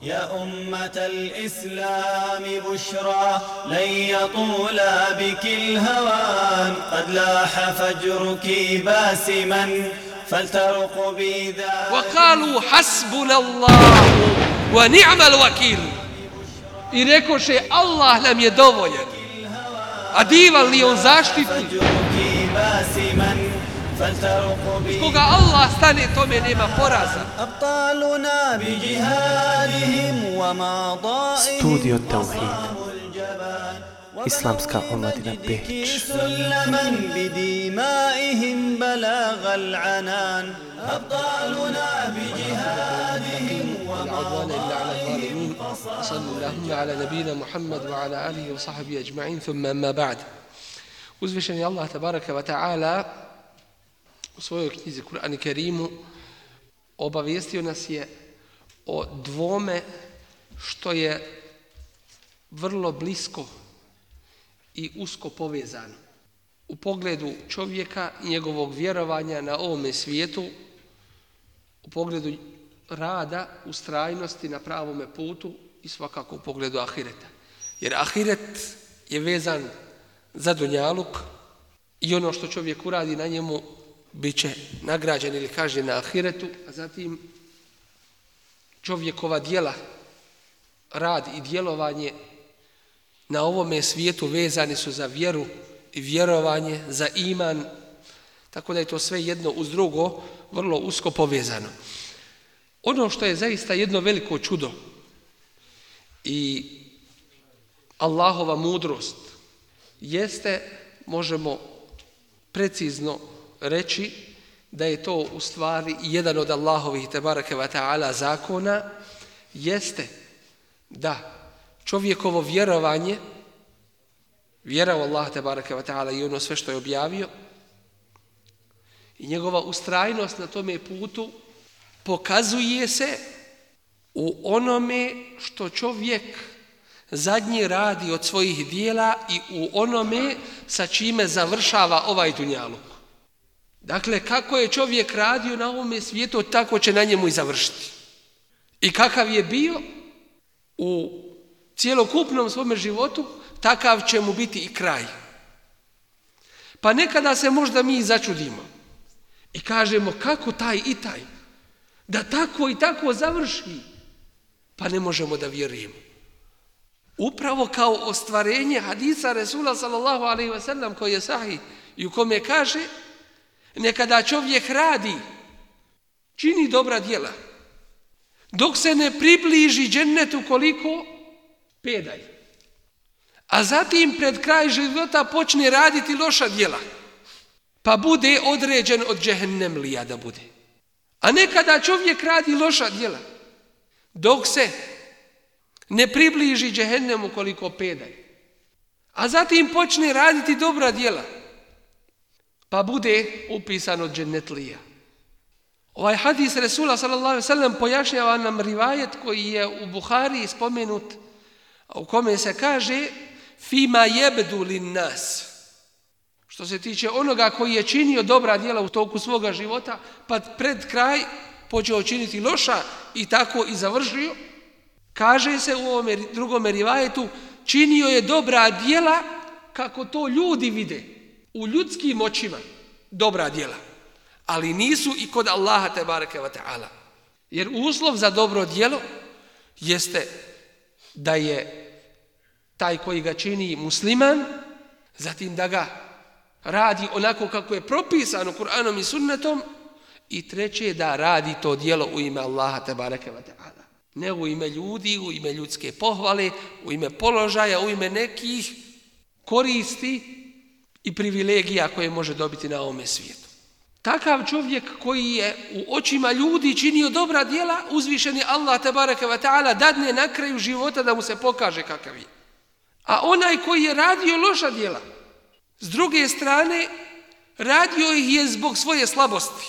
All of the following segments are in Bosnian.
يا أمة الإسلام بشرى لن يطول بك الهوان قد لاح فجرك باسما فلترقبي ذا وقالوا حسبنا الله ونعم الوكيل I rekoše Allah nam je dovoljan. A divan li on zaštitnik? Koga Allah stane, tome nema poraza. Studio Tauhid, Islamska omladina Beč. صلى اللهم على نبينا محمد وعلى آله وصحبه أجمعين ثم أما بعد. Uzvišeni Allah tabaraka wa ta'ala u svojoj knjizi Kur'an i Kerimu obavijestio nas je o dvome što je vrlo blisko i usko povezano u pogledu čovjeka i njegovog vjerovanja na ovome svijetu, u pogledu rada, ustrajnosti na pravome putu i svakako u pogledu ahireta. Jer ahiret je vezan za dunjaluk i ono što čovjek uradi na njemu bit će nagrađen ili kažnjen na ahiretu, a zatim čovjekova djela, rad i djelovanje na ovome svijetu vezani su za vjeru i vjerovanje, za iman, tako da je to sve jedno uz drugo vrlo usko povezano. Ono što je zaista jedno veliko čudo i Allahova mudrost jeste, možemo precizno reći, da je to u stvari jedan od Allahovih tebareke ve ta'ala zakona, jeste da čovjekovo vjerovanje, vjera u Allaha tebareke ve ta'ala i ono sve što je objavio i njegova ustrajnost na tome putu pokazuje se u onome što čovjek zadnji radi od svojih dijela i u onome sa čime završava ovaj dunjaluk. Dakle, kako je čovjek radio na ovome svijetu, tako će na njemu i završiti. I kakav je bio u cjelokupnom svome životu, takav će mu biti i kraj. Pa nekada se možda mi začudimo i kažemo kako taj i taj, da tako i tako završi, pa ne možemo da vjerujemo. Upravo kao ostvarenje hadisa Resula sallallahu alejhi ve sellem koji je sahih i u kome kaže nekada čovjek radi, čini dobra djela, dok se ne približi džennetu koliko pedalj, a zatim pred kraj života počne raditi loša djela, pa bude određen od džehennemlija da bude. A nekada čovjek radi loša djela, dok se ne približi džehennemu koliko pedalj, a zatim počne raditi dobra djela, pa bude upisan od džennetlija. Ovaj hadis Resula sallallahu alejhi ve sellem pojašnjava nam rivajet koji je u Buhariji spomenut, u kome se kaže fima yabdu lin nas. Što se tiče onoga koji je činio dobra djela u toku svoga života, pa pred kraj počeo činiti loša i tako i završio, kaže se u ovom drugom rivajetu, činio je dobra djela kako to ljudi vide, u ljudskim očima, dobra djela. Ali nisu i kod Allaha tebareke ve ta'ala. Jer uslov za dobro djelo jeste da je taj koji ga čini musliman, zatim da ga radi onako kako je propisano Kur'anom i sunnetom, i treće da radi to djelo u ime Allaha tebareke ve ta'ala. Ne u ime ljudi, u ime ljudske pohvale, u ime položaja, u ime nekih koristi i privilegija koje može dobiti na ovome svijetu. Takav čovjek koji je u očima ljudi činio dobra djela, uzvišeni Allah tebareke ve ta'ala dadne na kraju života da mu se pokaže kakav je. A onaj koji je radio loša djela, s druge strane, radio ih je zbog svoje slabosti,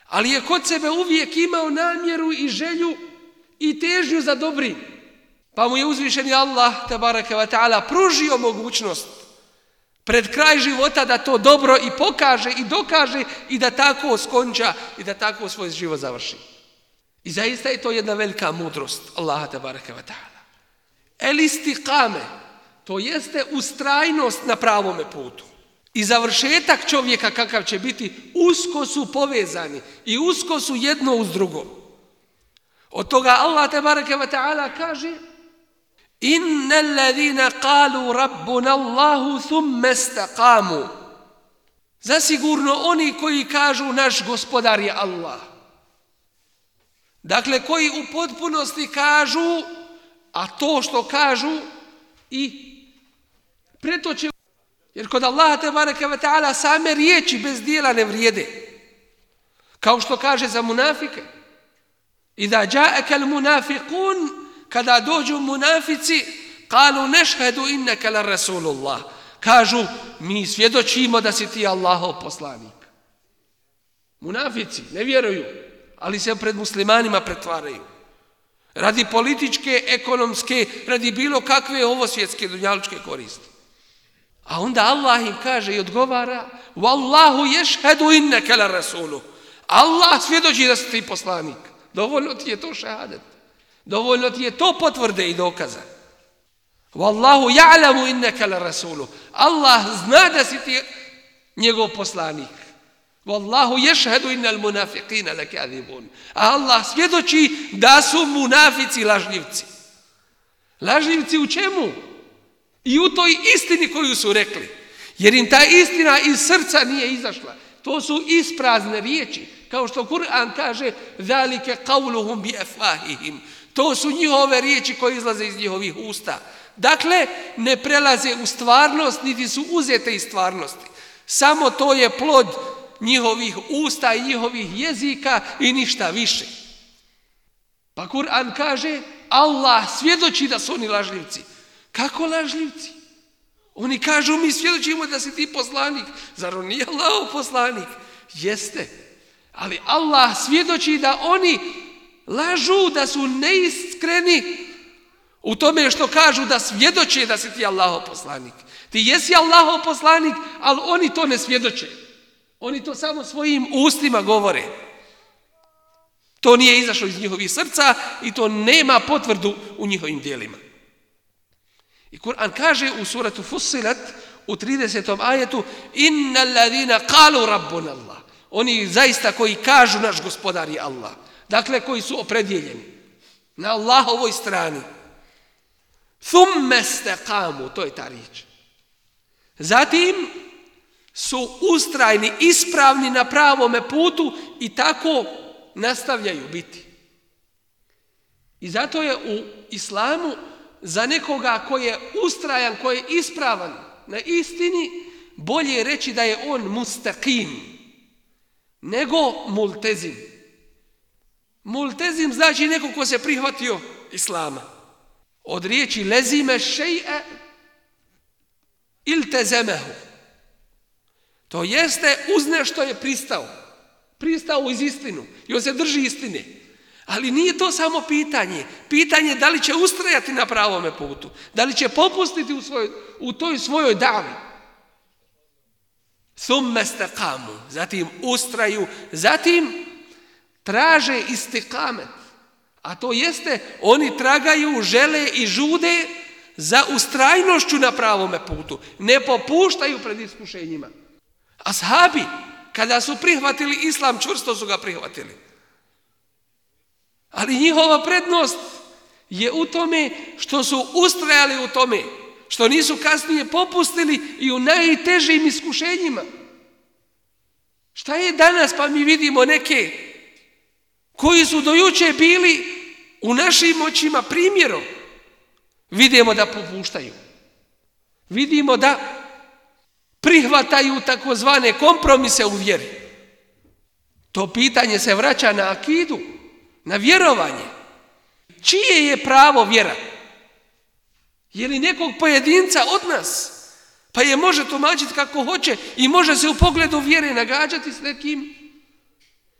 ali je kod sebe uvijek imao namjeru i želju i težnju za dobrim. Pa mu je uzvišeni Allah tebareke ve ta'ala pružio mogućnost pred kraj života da to dobro i pokaže i dokaže i da tako skonča i da tako svoj život završi. I zaista je to jedna velika mudrost Allaha tebareke ve ta'ala. El istiqame, to jeste ustrajnost na pravome putu. I završetak čovjeka kakav će biti, usko su povezani i usko su jedno uz drugo. Od toga Allah tebareke ve ta'ala kaže: Innal ladina qalu rabbuna Allahu thumma istaqamu. Zasigurno oni koji kažu naš gospodar je Allah. Dakle, koji u potpunosti kažu, a to što kažu i pretoče. Jer kod Allaha tebareke ve ta'ala same riječi bez dijela ne vrijede. Kao što kaže za munafike: Iza ja'aka al-munafiqun, kada dođu munafici, qalu nashhadu innaka la rasulullah. Kažu, mi svjedočimo da si ti Allahov poslanik. Munafici ne vjeruju, ali se pred muslimanima pretvaraju. Radi političke, ekonomske, radi bilo kakve ovosvjetske dunjalučke koristi. A onda Allah im kaže i odgovara: Wallahu yashhadu innaka la rasuluh. Allah svjedoči da si ti poslanik. Dovoljno ti je to šehadet. Dovoljno ti je to potvrde i dokaza. Wallahu ya'lamu innaka la rasuluh. Allah zna da si ti njegov poslanik. Wallahu yashhadu innal munafiqina lakadhibun. Allah svjedoči da su munafici lažljivci. Lažljivci u čemu? I u toj istini koju su rekli. Jer im ta istina iz srca nije izašla. To su isprazne riječi. Kao što Kur'an kaže: Zalike qawluhum bi afwahihim. To su njihove riječi koje izlaze iz njihovih usta. Dakle, ne prelaze u stvarnost, niti su uzete iz stvarnosti. Samo to je plod njihovih usta i njihovih jezika i ništa više. Pa Kur'an kaže: Allah svjedoči da su oni lažljivci. Kako lažljivci? Oni kažu: mi svjedočimo da si ti poslanik. Zar on nije Allahov poslanik? Jeste. Ali Allah svjedoči da oni lažu, da su neiskreni u tome što kažu da svjedoče da si ti Allahov poslanik. Ti jesi Allahov poslanik, ali oni to ne svjedoče. Oni to samo svojim ustima govore. To nije izašlo iz njihovih srca i to nema potvrdu u njihovim djelima. I Kur'an kaže u suratu Fussilat u 30. ajetu: Innal ladina qalu rabbuna Allah. Oni zaista koji kažu naš gospodar je Allah. Dakle, koji su opredjeljeni na Allahovoj strani. Thumma istaqamu, to je ta riječ. Zatim su ustrajni, ispravni na pravome putu i tako nastavljaju biti. I zato je u islamu za nekoga koji je ustrajan, koji je ispravan na istini, bolje reći da je on mustaqim nego multezim. Multezim znači neko ko se prihvatio islama. Od riječi lezime še'e iltezemehu. To jeste uz nešto je pristao. Pristao iz istinu. I on se drži istine. Ali nije to samo pitanje. Pitanje da li će ustrajati na pravome putu. Da li će popustiti u toj svojoj davi. Thumma istaqamu. Zatim ustraju. Zatim traže istiqamet. A to jeste, oni tragaju, žele i žude za ustrajnošću na pravome putu. Ne popuštaju pred iskušenjima. Ashabi, kada su prihvatili islam, čvrsto su ga prihvatili. Ali njihova prednost je u tome što su ustrajali u tome, što nisu kasnije popustili i u najtežim iskušenjima. Šta je danas, pa mi vidimo neke koji su dojuče bili u našim očima primjerom. Vidimo da popuštaju. Vidimo da prihvataju takozvane kompromise u vjeri. To pitanje se vraća na akidu, na vjerovanje. Čije je pravo vjera? Je li nekog pojedinca od nas? Pa je može tumačiti kako hoće i može se u pogledu vjere nagađati s nekim.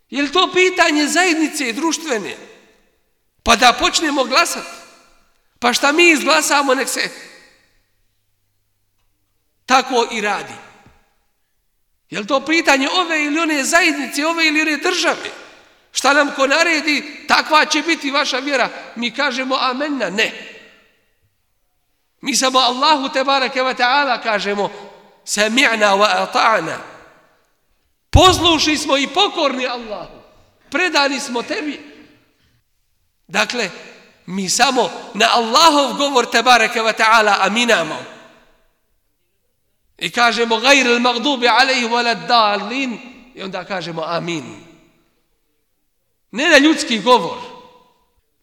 Je li to pitanje zajednice i društvene? Pa da počnemo glasati. Pa šta mi izglasamo, nek se tako i radi. Je li to pitanje ove ili one zajednice, ove ili one države? Šta nam ko naredi, takva će biti vaša vjera. Mi kažemo amenna, ne. Mi samo Allahu tebareke ve ta'ala kažemo sami'na wa ata'na. Poslušni smo i pokorni Allahu. Predani smo tebi. Dakle, mi samo na Allahov govor tebareke ve ta'ala aminamo. I kažemo gajril magdubi alejhi waladdallin i onda kažemo amin. Ne na ljudski govor.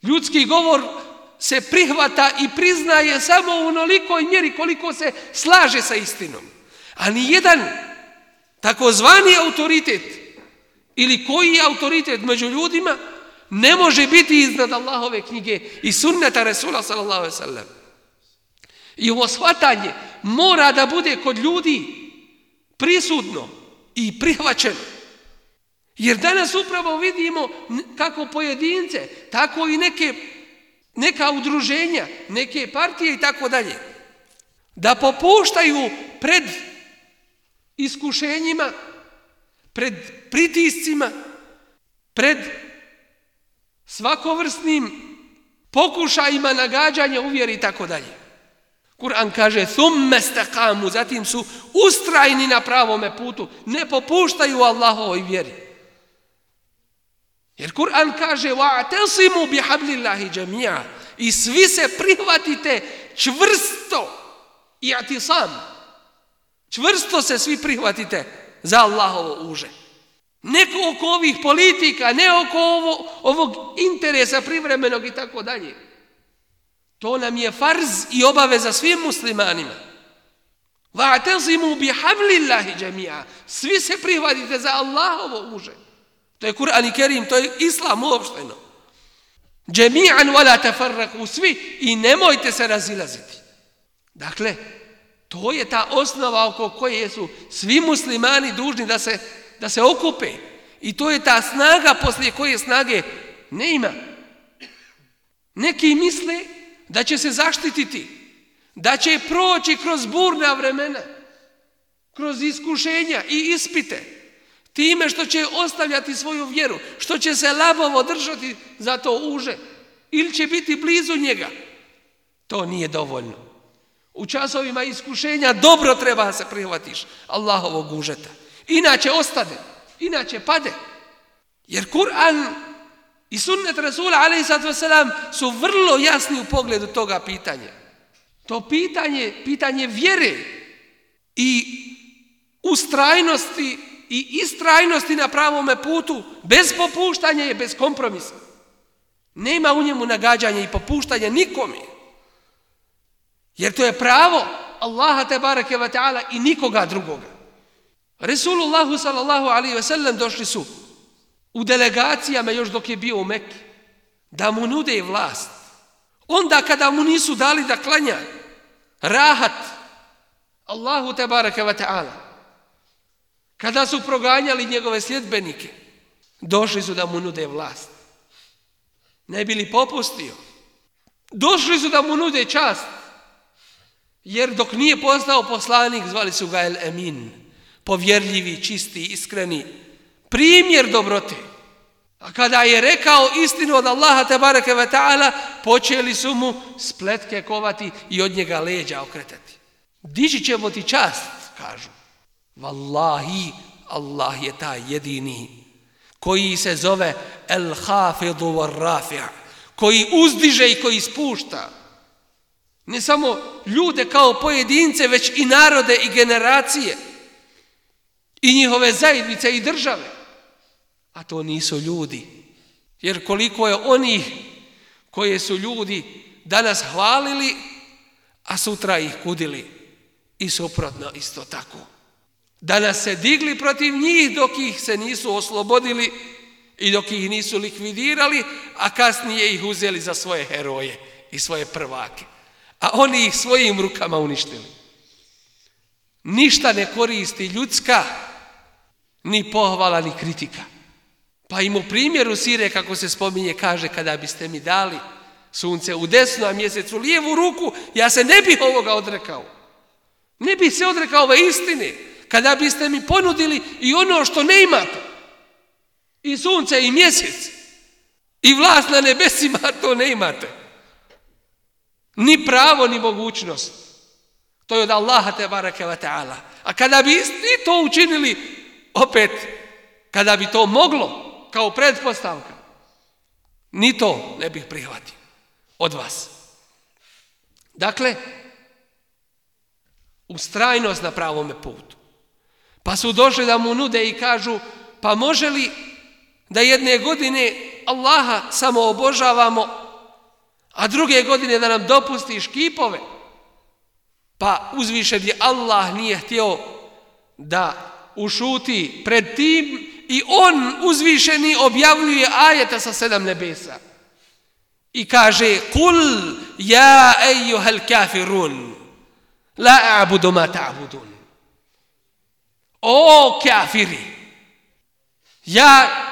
Ljudski govor se prihvata i priznaje samo u onolikoj mjeri koliko se slaže sa istinom. A ni jedan takozvani autoritet ili koji je autoritet među ljudima ne može biti iznad Allahove knjige i sunneta Resula sallallahu alejhi ve sellem. I ovo shvatanje mora da bude kod ljudi prisutno i prihvaćeno. Jer danas upravo vidimo kako pojedince, tako i neka udruženja, neke partije i tako dalje, da popuštaju pred iskušenjima, pred pritiscima, pred svakovrsnim pokušajima nagađanja u vjeri i tako dalje. Kur'an kaže thumme istaqamu, zatim su ustrajni na pravome putu, ne popuštaju Allahovoj vjeri. Jer Kur'an kaže wa'tasimu bihablillahi jami'a, i svi se prihvatite čvrsto, i'tisam, čvrsto se svi prihvatite za Allahovo uže. Ne oko ovih politika, ne oko ovog interesa privremenog i tako dalje. To nam je farz i obaveza svim muslimanima. Wa'tasimu bihablillahi jami'a, svi se prihvatite za Allahovo uže. To je Kur'an i Kerim, to je Islam uopšteno. Jami'an wala tafarraqu, svi, i nemojte se razilaziti. Dakle, to je ta osnova oko koje su svi muslimani dužni da se okupe. I to je ta snaga poslije koje snage ne ima. Neki misle da će se zaštititi, da će proći kroz burna vremena, kroz iskušenja i ispite, time što će ostavljati svoju vjeru, što će se labovo držati za to uže, ili će biti blizu njega. To nije dovoljno. U časovima iskušenja dobro treba se prihvatiš Allahovog užeta. Inače ostade, inače pade. Jer Kur'an i sunnet Rasula alejhi ve sellem su vrlo jasni u pogledu toga pitanja. To pitanje vjere i ustrajnosti i istrajnosti na pravome putu, bez popuštanja i bez kompromisa. Nema u njemu nagađanja i popuštanja nikome. Jer to je pravo Allaha tebareke ve ta'ala i nikoga drugoga. Resulullahu sallallahu alaihi ve sellem došli su u delegacijama još dok je bio u Mekki da mu nude vlast. Onda kada mu nisu dali da klanja rahat Allahu tebareke ve ta'ala, kada su proganjali njegove sljedbenike, došli su da mu nude vlast. Ne bi li popustio? Došli su da mu nude čast. Jer dok nije postao poslanik, zvali su ga El Emin, povjerljivi, čisti, iskreni, primjer dobrote. A kada je rekao istinu od Allaha tebareke ve ta'ala, počeli su mu spletke kovati i od njega leđa okretati. Dići ćemo ti čast, kažu. Wallahi, Allah je taj jedini koji se zove El Hafidu war Rafi', koji uzdiže i koji spušta. Ne samo ljude kao pojedince, već i narode i generacije i njihove zajednice i države. A to nisu ljudi. Jer koliko je onih koje su ljudi danas hvalili, a sutra ih kudili. I suprotno isto tako. Danas se digli protiv njih dok ih se nisu oslobodili i dok ih nisu likvidirali, a kasnije ih uzeli za svoje heroje i svoje prvake. A oni ih svojim rukama uništili. Ništa ne koristi ljudska, ni pohvala, ni kritika. Pa im u primjeru sire, kako se spominje, kaže, kada biste mi dali sunce u desnu, a mjesec u lijevu ruku, ja se ne bih ovoga odrekao. Ne bih se odrekao ove istine. Kada biste mi ponudili i ono što ne imate, i sunce i mjesec i vlast na nebesima, to ne imate. Ni pravo, ni mogućnost. To je od Allaha tebareke ve ta'ala. A kada bi isti to učinili, opet, kada bi to moglo, kao pretpostavka, ni to ne bih prihvatio od vas. Dakle, ustrajnost na pravome putu. Pa su došli da mu nude i kažu, pa može li da jedne godine Allaha samo obožavamo, a druge godine da nam dopustiš kipove? Pa uzvišeni Allah nije htio da ušuti pred tim i on uzvišeni objavljuje ajeta sa 7 nebesa. I kaže, kul ja ejuhel kafirun, la a'budu ma ta'budun. O kafiri, ja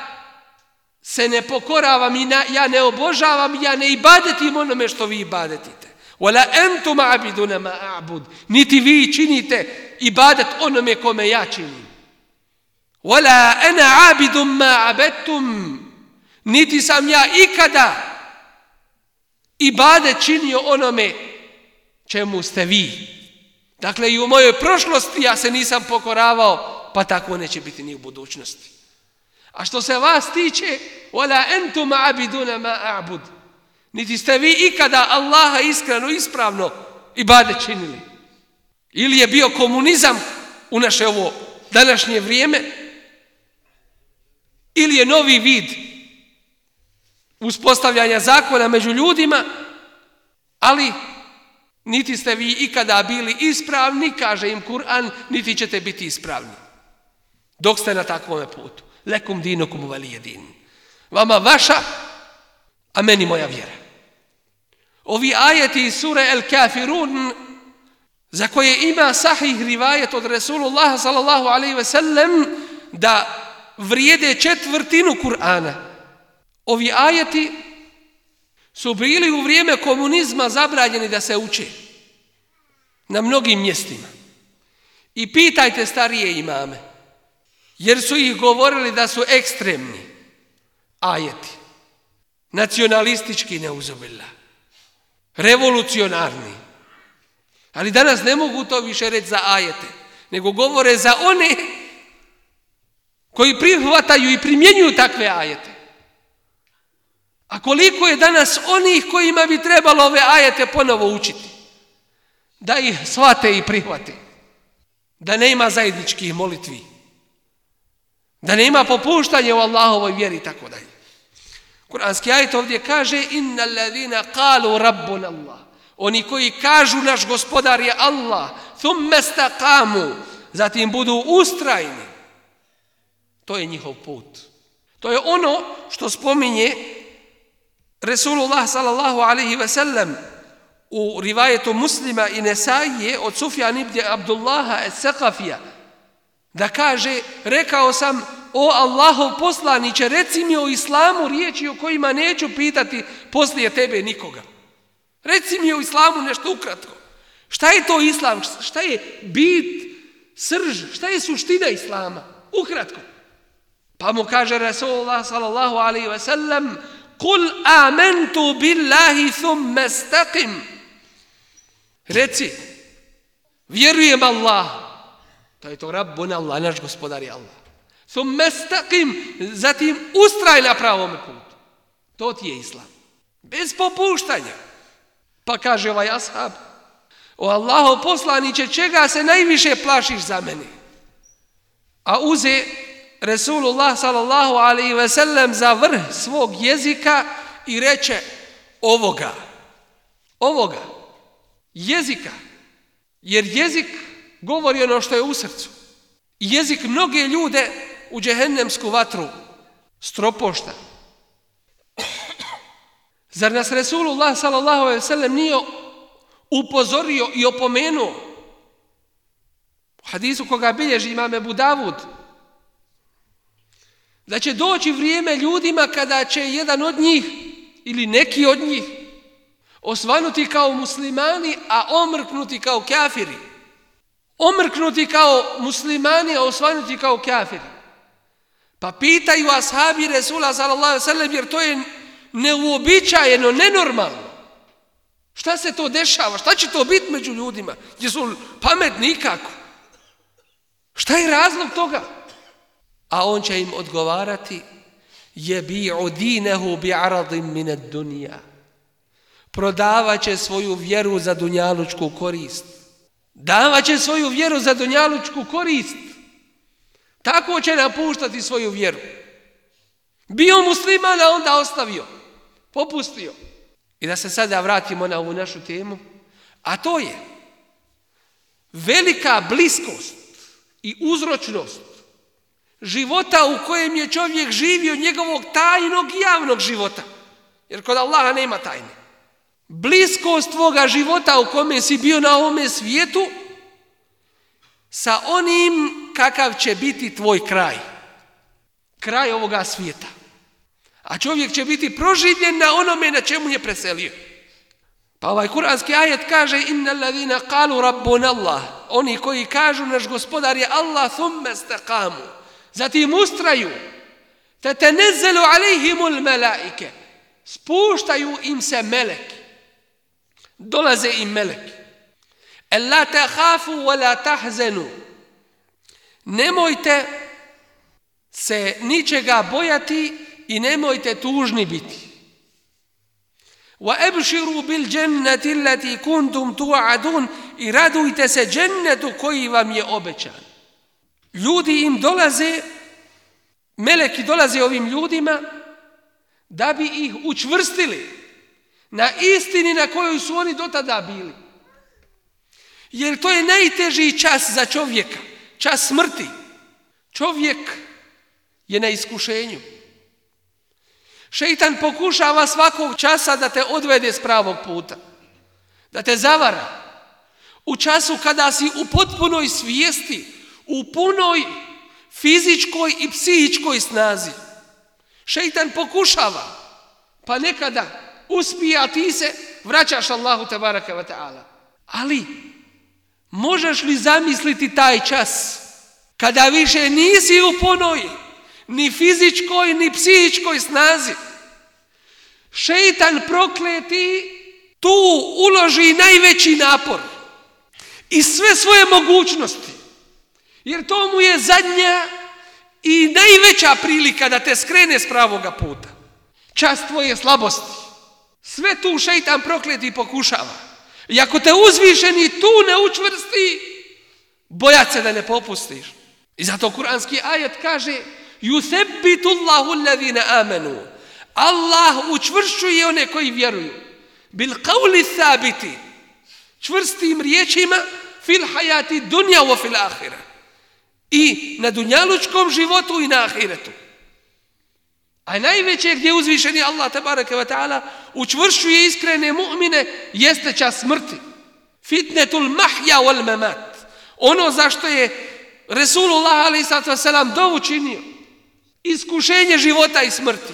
se ne pokoravam i ja ne obožavam, ja ne ibadetim onome što vi ibadetite. Wala antum a'biduna ma a'bud. Niti vi činite ibadet onome kome ja činim. Wala ana a'bidum ma abadtum. Niti sam ja ikada ibadet činio onome čemu ste vi. Dakle, i u mojoj prošlosti ja se nisam pokoravao, pa tako neće biti ni u budućnosti. A što se vas tiče, wala antum a'biduna ma a'bud. Niti ste vi ikada Allaha iskreno, ispravno ibadet činili. Ili je bio komunizam u naše ovo današnje vrijeme, ili je novi vid uspostavljanja zakona među ljudima, ali niti ste vi ikada bili ispravni, kaže im Kur'an, niti ćete biti ispravni. Dok ste na takvome putu. Lekum dinukum valiye din. Vama vaša, a meni moja vjera. Ovi ajeti iz sure El Kafirun, za koje ima sahih rivajet od Resulullah sallallahu alaihi ve sellem, da vrijede 1/4 Kur'ana. Ovi ajeti su bili u vrijeme komunizma zabranjeni da se uče na mnogim mjestima. I pitajte starije imame, jer su ih govorili da su ekstremni ajeti, nacionalistički neuzubillah, revolucionarni. Ali danas ne mogu to više reći za ajete, nego govore za one koji prihvataju i primjenjuju takve ajete. A koliko je danas onih kojima bi trebalo ove ajete ponovo učiti, da ih shvate i prihvate, da nema zajedničkih molitvi, da nema popuštanja u Allahovoj vjeri i tako dalje. Kur'anski ajet ovdje kaže, innal ladhina qalu rabbuna Allah. Oni koji kažu naš gospodar je Allah, thumma istaqamu, zatim budu ustrajni. To je njihov put. To je ono što spominje Resulullah sallallahu alaihi ve sellem u rivajetu Muslima i Nesaije od Sufjan ibn Abdullaha es-Sakafija, da kaže, rekao sam, o Allahov poslaniće, reci mi o islamu riječi o kojima neću pitati poslije tebe nikoga. Reci mi o islamu nešto ukratko. Šta je to islam? Šta je bit, srž? Šta je suština islama? Ukratko. Pa mu kaže Rasulullah sallallahu alaihi ve sellem, kul amantu billahi thumma istaqim. Reci, vjerujem Allah. To je to Rabbuna Allah, naš gospodar je Allah. Thumma istaqim, zatim ustraj na pravome putu. To ti je islam. Bez popuštanja. Pa kaže ovaj ashab, o Allahov poslaniće, čega se najviše plašiš za mene? A uze Resulullah sallallahu alaihi ve sellem za vrh svog jezika i reče ovoga, jezika, jer jezik govori ono što je u srcu. Jezik mnoge ljude u džehennemsku vatru stropošta. Zar nas Resulullah sallallahu alejhi ve sellem nije upozorio i opomenuo? U hadisu koga bilježi imam Ebu Davud, da će doći vrijeme ljudima kada će jedan od njih ili neki od njih osvanuti kao muslimani, a omrknuti kao kafiri. Omrknuti kao muslimani, a osvanuti kao kafiri. Pa pitaju ashabi Resula sallallahu alejhi ve sellem, jer to je neuobičajeno, nenormalno. Šta se to dešava? Šta će to biti među ljudima? Jesu pametni nikako? Šta je razlog toga? A on će im odgovarati: jebi'u dinehu bi'aradin min ad-dunya. Prodavat će svoju vjeru za dunjalučku korist. Davat će svoju vjeru za dunjalučku korist. Tako će napuštati svoju vjeru. Bio musliman, a onda ostavio. Popustio. I da se sada vratimo na ovu našu temu. A to je velika bliskost i uzročnost života u kojem je čovjek živio, njegovog tajnog i javnog života. Jer kod Allaha nema tajne. Bliskost tvoga života u kome si bio na ovome svijetu sa onim kakav će biti tvoj kraj. Kraj ovoga svijeta. A čovjek će biti proživljen na onome na čemu je preselio. Pa ovaj kuranski ajet kaže: innal ladina qalu rabbuna Allah. Oni koji kažu naš gospodar je Allah, thumma istaqamu. Zatim ustraju. Tatanazzalu alejhimul malaike. Spuštaju im se meleki. Dolaze im meleki. Alla takhafu wa la tahzanu. Nemojte se ničega bojati i nemojte tužni biti. Wa abshiru bil jannati allati kuntum tu'adun. I radujte se džennetu koji vam je obećan. Ljudi im dolaze, meleki dolaze ovim ljudima da bi ih učvrstili na istini na kojoj su oni do tada bili. Jer to je najteži čas za čovjeka, čas smrti. Čovjek je na iskušenju. Šejtan pokušava svakog časa da te odvede s pravog puta, da te zavara. U času kada si u potpunoj svijesti, u punoj fizičkoj i psihičkoj snazi. Šejtan pokušava, pa nekada uspije, a ti se vraćaš Allahu tebaraka ve taala. Ali možeš li zamisliti taj čas kada više nisi u punoj ni fizičkoj ni psihičkoj snazi? Šejtan prokleti tu uloži najveći napor i sve svoje mogućnosti, jer to mu je zadnja i najveća prilika da te skrene s pravoga puta. Čas tvoje slabosti. Sve tu šejtan prokleti i pokušava. I ako te uzvišeni tu ne učvrsti, bojat se da ne popustiš. I zato kuranski ajet kaže: yuthabbitu Allahu alladhina amanu. Allah učvršćuje one koji vjeruju. Bil qawli thabiti. Čvrstim riječima fil hayati dunya wa fil akhirah. I na dunjalučkom životu i na ahiretu. A najveće gdje uzvišeni Allah tebareke ve taala učvršćuje iskrene mu'mine jeste čas smrti. Fitnetul mahya wal mamat. Ono zašto je Resulullah alejhi ve sellem dovu činio. Iskušenje života i smrti.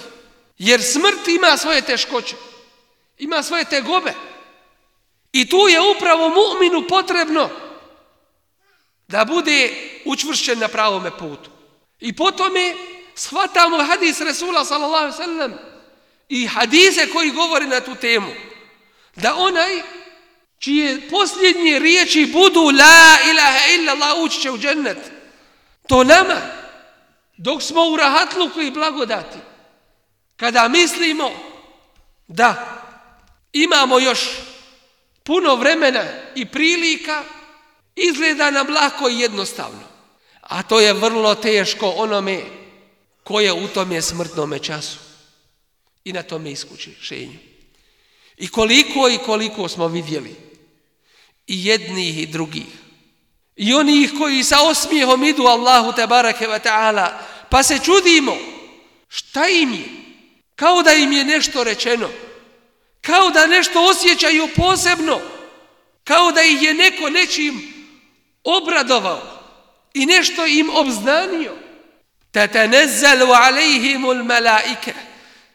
Jer smrt ima svoje teškoće. Ima svoje tegobe. I tu je upravo mu'minu potrebno da bude učvršćen na pravome putu. I potome shvatamo hadis Resula sallallahu alejhi ve sellem i hadise koji govore na tu temu, da onaj čije posljednje riječi budu la ilaha illallah ući će u džennet. To nama, dok smo u rahatluku i blagodati, kada mislimo da imamo još puno vremena i prilika, izgleda nam lako i jednostavno. A to je vrlo teško onome ko je u tome smrtnome času i na tome iskušenju. I koliko smo vidjeli i jednih i drugih. I onih koji sa osmijehom idu Allahu tebareke ve taala, pa se čudimo šta im je, kao da im je nešto rečeno, kao da nešto osjećaju posebno, kao da ih je neko nečim obradovao i nešto im obznanio. Tatanazzalu alejhimul malaike.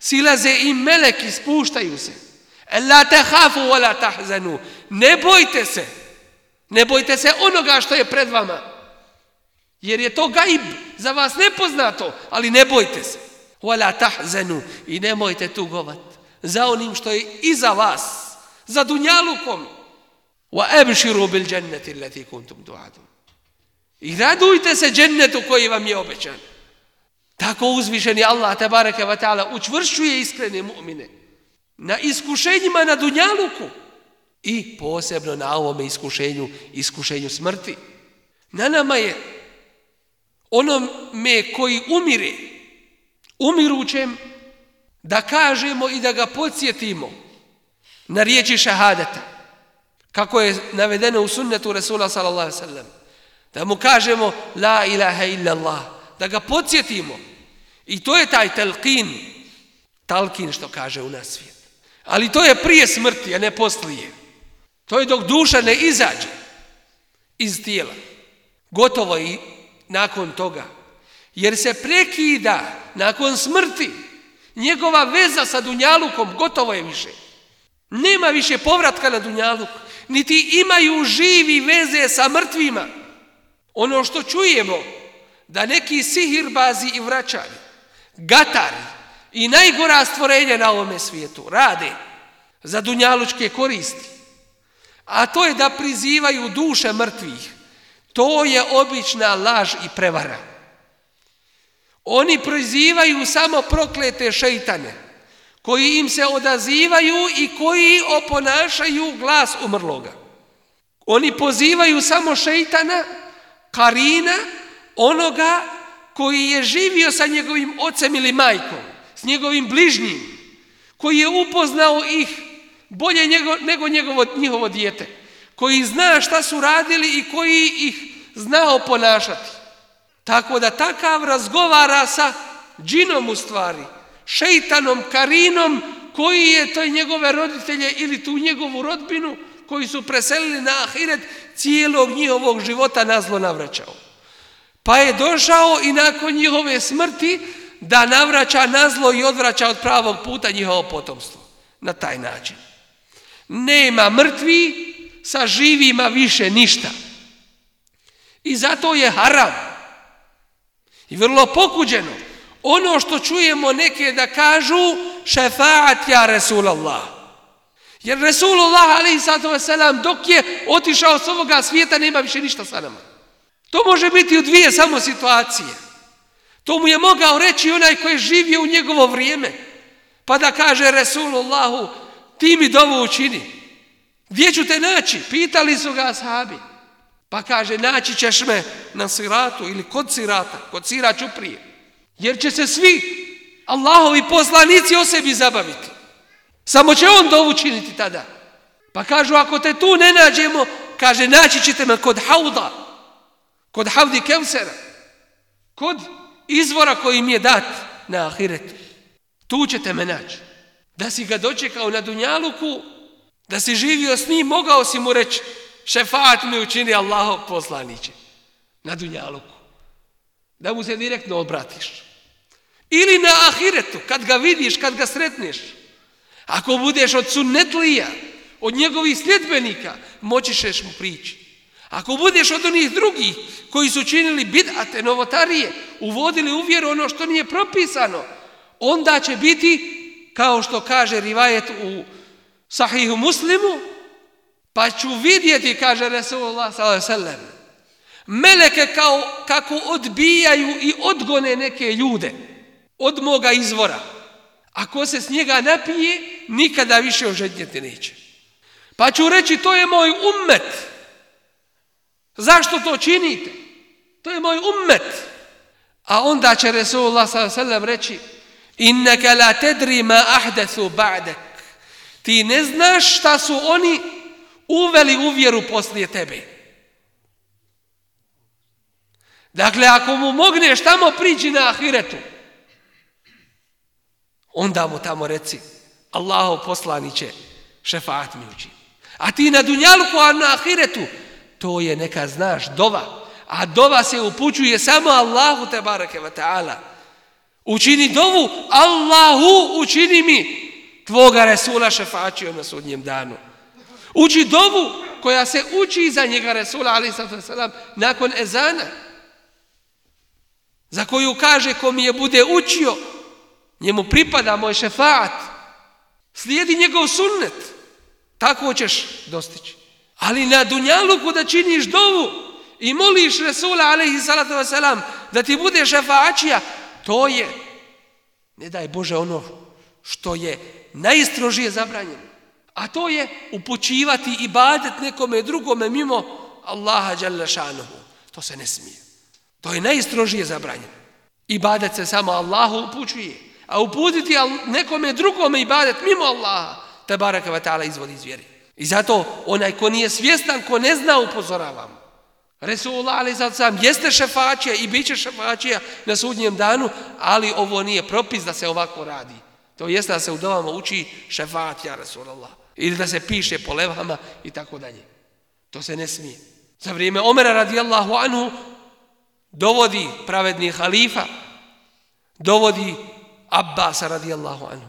Silaze im meleki, spuštaju se. La takhafu wa la tahzanu. Ne bojte se onoga što je pred vama. Jer je to gaib, za vas nepoznato, ali ne bojte se. Wala tahzanu, i nemojte tugovat za onim što je iza vas, za dunjalukom. Wa abshiru bil jannati allati kuntum tu'adun. I radujte se džennetu koji vam je obećan. Tako uzvišeni Allah tebareke ve taala učvršćuje iskrene mu'mine na iskušenjima na dunjaluku i posebno na ovome iskušenju smrti. Na nama je onome koji umire, umirućem, da kažemo i da ga podsjetimo na riječi šahadeta, kako je navedeno u sunnetu Resula sallallahu alejhi ve sellem, da mu kažemo la ilaha illa Allah, da ga podsjetimo. I to je taj talqin što kaže u nas svijet. Ali to je prije smrti, a ne poslije. To je dok duša ne izađe iz tijela. Gotovo i nakon toga. Jer se prekida nakon smrti njegova veza sa dunjalukom, gotovo je više. Nema više povratka na dunjaluk, niti imaju živi veze sa mrtvima. Ono što čujemo, da neki sihirbazi i vraćari, gatari i najgora stvorenja na ovome svijetu rade za dunjalučke koristi, a to je da prizivaju duše mrtvih, to je obična laž i prevara. Oni prizivaju samo proklete šejtane, koji im se odazivaju i koji oponašaju glas umrloga. Oni pozivaju samo šejtana, karina, onoga koji je živio sa njegovim ocem ili majkom, s njegovim bližnjim, koji je upoznao ih bolje nego njihovo dijete, koji zna šta su radili i koji ih znao ponašati. Tako da takav razgovara sa džinom u stvari, šejtanom, karinom, koji je to njegove roditelje ili tu njegovu rodbinu koji su preselili na ahiret cijelog njihovog života nazlo navraćao. Pa je došao i nakon njihove smrti da navraća nazlo i odvraća od pravog puta njihovo potomstvo. Na taj način. Nema mrtvi sa živima više ništa. I zato je haram. I vrlo pokuđeno. Ono što čujemo neke da kažu šefaat ja Resulallah. Jer Resulullah alejhi salatu vesselam dok je otišao s ovoga svijeta nema više ništa sa nama. To može biti u dvije samo situacije. To mu je mogao reći onaj koji je živio u njegovo vrijeme. Pa da kaže Resulullahu, ti mi dovu učini. Gdje ću te naći? Pitali su ga ashabi. Pa kaže, naći ćeš me na siratu ili kod sirata, kod sira čuprije. Jer će se svi Allahovi poslanici o sebi zabaviti. Samo će on dovu učiniti tada. Pa kažu, ako te tu ne nađemo, kaže, naći ćete me kod hauda, kod havdi Kevsera, kod izvora koji mi je dat na ahiretu. Tu ćete me naći. Da si ga dočekao na dunjaluku, da si živio s njim, mogao si mu reći, šefaat mi učini Allahov poslaniće na dunjaluku. Da mu se direktno obratiš. Ili na ahiretu, kad ga vidiš, kad ga sretneš. Ako budeš od sunnetlija, od njegovih sljedbenika, moći ćeš mu prići. Ako budeš od onih drugih koji su činili bid'ate, novotarije, uvodili u vjeru ono što nije propisano, onda će biti, kao što kaže rivajet u Sahihu Muslimu, pa ću vidjeti, kaže Resulullah sallallahu alejhi ve sellem, meleke kako odbijaju i odgone neke ljude od moga izvora. Ako se s njega napije, nikada više ožednjeti neće. Pa ću reći, to je moj ummet. Zašto to činite? To je moj ummet. A onda će Resulullah sallallahu alejhi ve sellem reći, innaka la tadri ma ahdathu ba'dak. Ti ne znaš šta su oni uveli u vjeru poslije tebe. Dakle, ako mu mogneš tamo prići na ahiretu, onda mu tamo reci, Allahov poslaniće, šefaat mi učini. A ti na dunjaluku, a na ahiretu, to je neka znaš dova. A dova se upućuje samo Allahu tebareke ve taala. Učini dovu, Allahu učini mi tvoga Resula šefačio na sudnjem danu. Uči dovu koja se uči za njega Resula alejhi salatu vesselam nakon ezana. za koju kaže ko mi je bude učio, njemu pripada moj šefaat, slijedi njegov sunnet, tako ćeš dostići. Ali na dunjaluku da činiš dovu i moliš Resula alejhi salatu vesselam da ti bude šefaatčija, to je, ne daj Bože, ono što je najstrožije zabranjeno. A to je upućivati ibadet nekome drugome mimo Allaha dželle šanuhu. To se ne smije. To je najstrožije zabranjeno. Ibadet se samo Allahu upućuje, a uputiti nekome drugome ibadet mimo Allaha tebareke ve taala izvodi iz vjere. I zato onaj ko nije svjestan, ko ne zna, upozoravam. Resulullah alejhi sallam jeste šefaatčija i bit će šefaatčija na sudnjem danu, ali ovo nije propis da se ovako radi. To jeste da se u dovama uči šefaat ja Resulullah. Ili da se piše po levhama i tako dalje. To se ne smije. Za vrijeme Omera radijallahu anhu dovodi pravedni halifa, dovodi Abbasa radijallahu anhu,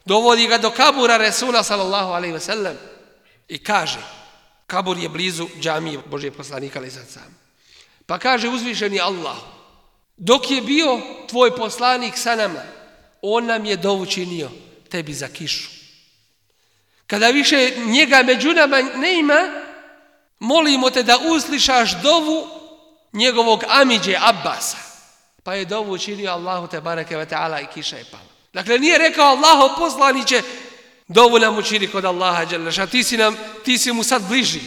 dovodi ga do kabura Resula sallallahu alejhi ve sellem i kaže, kabur je blizu džamije Božijeg poslanika alejhi sallam. Pa kaže uzvišeni Allah, dok je bio tvoj poslanik sa nama, on nam je dovu činio tebi za kišu. Kada više njega među nama ne ima, molimo te da uslišaš dovu njegovog amidže Abbasa. Pa je dovu učinio Allahu tebareke ve taala i kiša je pala. Dakle, nije rekao Allahov poslaniće, dovu nam učini kod Allaha dželle šanuhu, ti si mu sad bliži.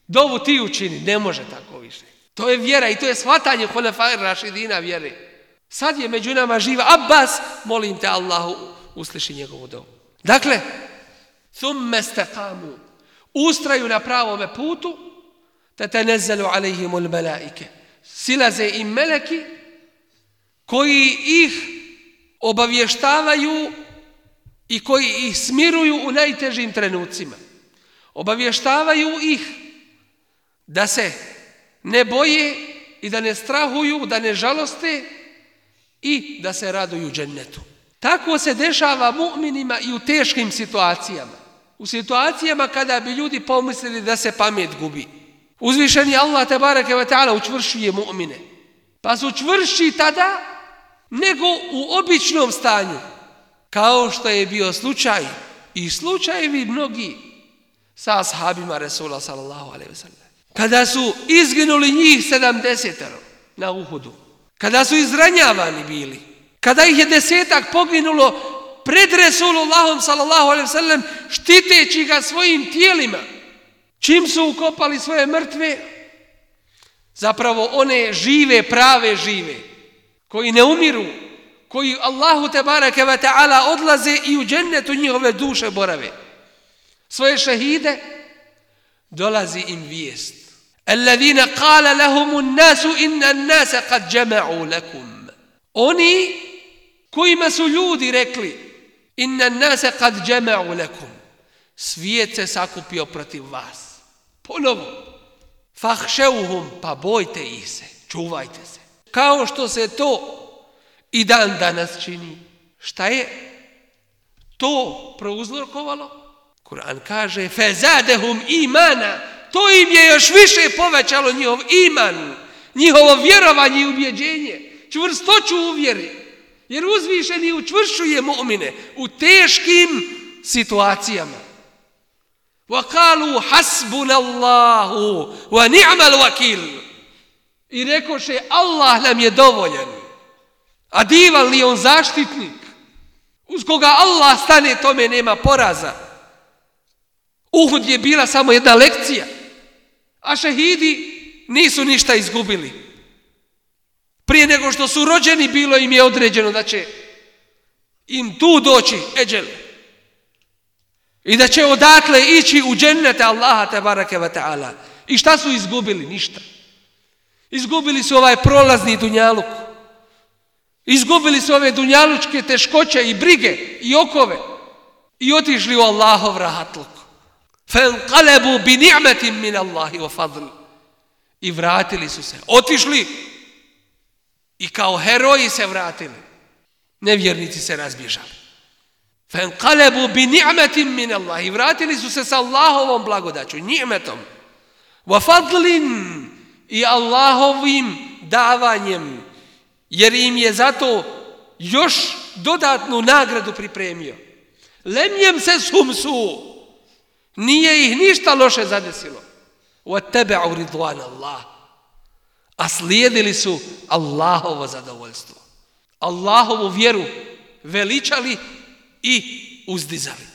Dovu ti učini, ne može tako više. To je vjera i to je shvatanje hulefaj rašidina vjere. Sad je među nama živa Abbas, molim te Allahu, usliši njegovu dovu. Dakle, thumme istaqamu, ustraju na pravome putu, tatanazzalu alejhimul malaike, silaze im meleki koji ih obavještavaju i koji ih smiruju u najtežim trenucima. Obavještavaju ih da se ne boje i da ne strahuju, da ne žaloste i da se raduju džennetu. Tako se dešava mu'minima i u teškim situacijama. U situacijama kada bi ljudi pomislili da se pamet gubi. Uzvišeni Allah tebareke ve taala učvršćuje mu'mine. Pa su čvršći tada nego u običnom stanju. Kao što je bio slučaj i slučajevi mnogi sa ashabima Resula sallallahu alejhi ve sellem. Kada su izginuli njih 70 na Uhudu, kada su izranjavani bili, kada ih je 10 poginulo pred Resulullahom sallallahu alejhi ve sellem, štiteći ga svojim tijelima, čim su ukopali svoje mrtve, zapravo one žive, prave žive, koji ne umiru, koji Allahu tebareke ve taala odlaze i u džennetu njihove duše borave. Svoje šehide dolazi im vijest. Alladine qala lahumun nasu inna nasa qad jama'u lakum. Oni kojima su ljudi rekli inna nasa qad jama'u lakum. Svijet se sakupio protiv vas. Ponovo. Fahšeuhum, pa bojte ih se, čuvajte se. Kao što se to i dan danas čini. Šta je to prouzrokovalo? Kur'an kaže fezadehum imana, to im je još više povećalo njihov iman, njihovo vjerovanje i ubjeđenje, čvrstoću u vjeri, jer uzvišeni učvršćuje mu'mine u teškim situacijama. وَقَالُوا حَسْبُنَ اللَّهُ وَنِعْمَ الْوَكِيلُ. I rekoše Allah nam je dovoljan. A divan li on zaštitnik? Uz koga Allah stane, tome nema poraza. Uhud je bila samo jedna lekcija, a šehidi nisu ništa izgubili. Prije nego što su rođeni, bilo im je određeno da će im tu doći eđel i da će odatle ići u džennete Allaha tebareke ve taala. I šta su izgubili? Ništa. Izgubili su ovaj prolazni dunjaluk. Izgubili su ove dunjalučke teškoće i brige i okove i otišli u Allahov rahatluk. فَانْقَلَبُوا بِنِعْمَةٍ مِّنَ اللَّهِ وَفَضْلِ. I vratili su se. Otišli i kao heroji se vratili. Nevjernici se razbježali. فَانْقَلَبُوا بِنِعْمَةٍ مِّنَ اللَّهِ. I vratili su se sa Allahovom blagodaću, ni'metom. وَفَضْلٍ. I Allahovim davanjem jer im je zato još dodatnu nagradu pripremio. Lemjem se sumsu, nije ih ništa loše zadesilo. وَاتَّبَعُوا رِضْوَانَ اللَّهِ, a slijedili su Allahovo zadovoljstvo. Allahovu vjeru veličali i uzdizali.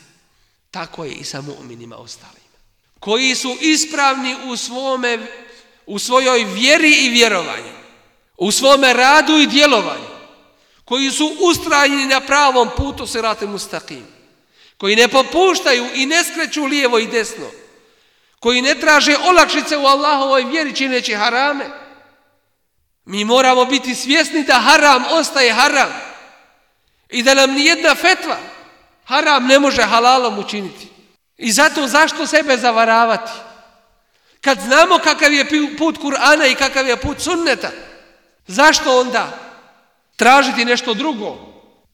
Tako je i sa mu'minima ostalima, koji su ispravni u svojoj vjeri i vjerovanju, u svome radu i djelovanju, koji su ustrajni na pravom putu sirate mustaqim, koji ne popuštaju i ne skreću lijevo i desno, koji ne traže olakšice u Allahovoj vjeri čineći harame. Mi moramo biti svjesni da haram ostaje haram i da nam nijedna fetva haram ne može halalom učiniti. I zato zašto sebe zavaravati? Kad znamo kakav je put Kur'ana i kakav je put sunneta, zašto onda tražiti nešto drugo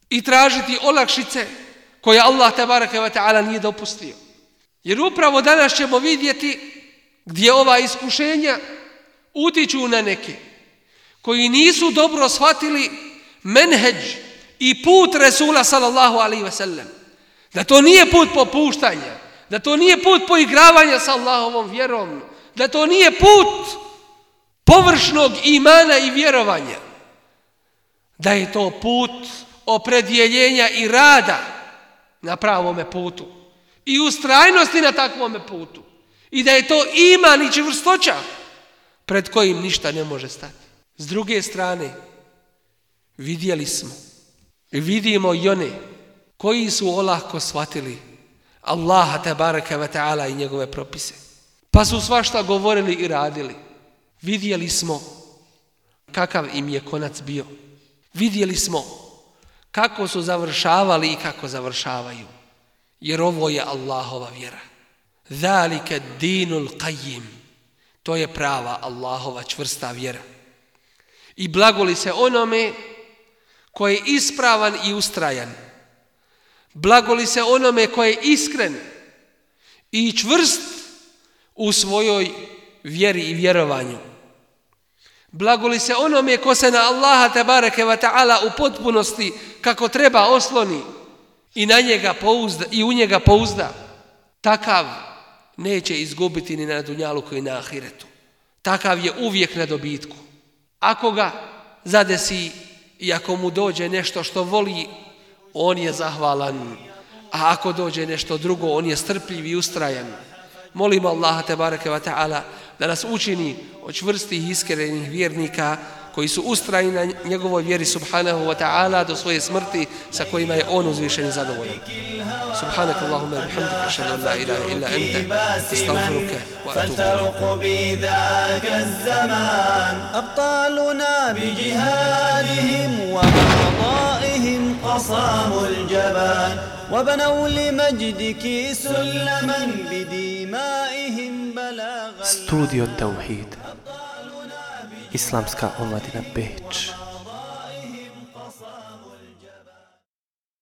i tražiti olakšice koje Allah tebareke ve taala nije dopustio? Jer upravo danas ćemo vidjeti gdje ova iskušenja utiču na neke koji nisu dobro shvatili menheđ i put Resula sallallahu alaihi ve sellem. Da to nije put popuštanja, da to nije put poigravanja sa Allahovom vjerom, da to nije put površnog imana i vjerovanja, da je to put opredjeljenja i rada na pravome putu i ustrajnosti na takvome putu i da je to iman i čvrstoća pred kojim ništa ne može stati. S druge strane, vidjeli smo i vidimo i one koji su olako shvatili Allaha tebareke ve taala i njegove propise, pa su svašta govorili i radili. Vidjeli smo kakav im je konac bio. Vidjeli smo kako su završavali i kako završavaju. Jer ovo je Allahova vjera. Zalika dinul qayyim. To je prava Allahova čvrsta vjera. I blagoli se onome koji je ispravan i ustrajan. Blagoli se onome koji je iskren i čvrst u svojoj vjeri i vjerovanju. Blagoli se onome ko se na Allaha tebareke ve taala u potpunosti kako treba osloni i na njega pouzda i u njega pouzda. Takav neće izgubiti ni na dunjaluku i na ahiretu. Takav je uvijek na dobitku. Ako ga zadesi i ako mu dođe nešto što voli, on je zahvalan. A ako dođe nešto drugo, on je strpljiv i ustrajan. Molimo Allaha tebareke ve taala da nas učini od čvrstih i iskrenih vjernika koji su ustrajni na njegovoj vjeri subhanahu wa ta'ala do svoje smrti sa kojima je on uzvišen i zadovoljan. Subhanak Allahumma wa bihamdika ashhadu an la ilaha illa anta astaghfiruka wa atubu ilayk. أبطالنا بجهادهم وقضائهم قصاموا الجبان وبنوا لمجدك سلما بدمائهم بلاغ Studio Tauhid. Islamska omladina Beč.